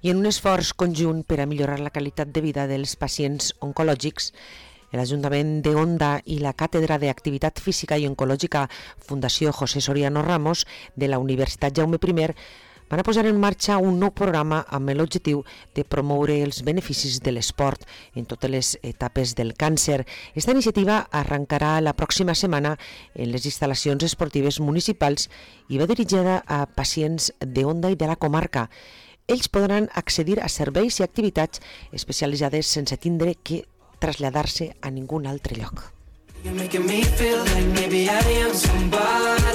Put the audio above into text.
I en un esforç conjunt per a millorar la qualitat de vida dels pacients oncològics, l'Ajuntament de Onda i la Càtedra d'Activitat Física i Oncològica Fundació José Soriano Ramos de la Universitat Jaume I van a posar en marxa un nou programa amb l'objectiu de promoure els beneficis de l'esport en totes les etapes del càncer. Esta iniciativa arrencarà la pròxima setmana en les instal·lacions esportives municipals i va dirigida a pacients de Onda i de la comarca. Ells podran accedir a serveis i activitats especialitzades sense tindre que traslladar-se a ningun altre lloc.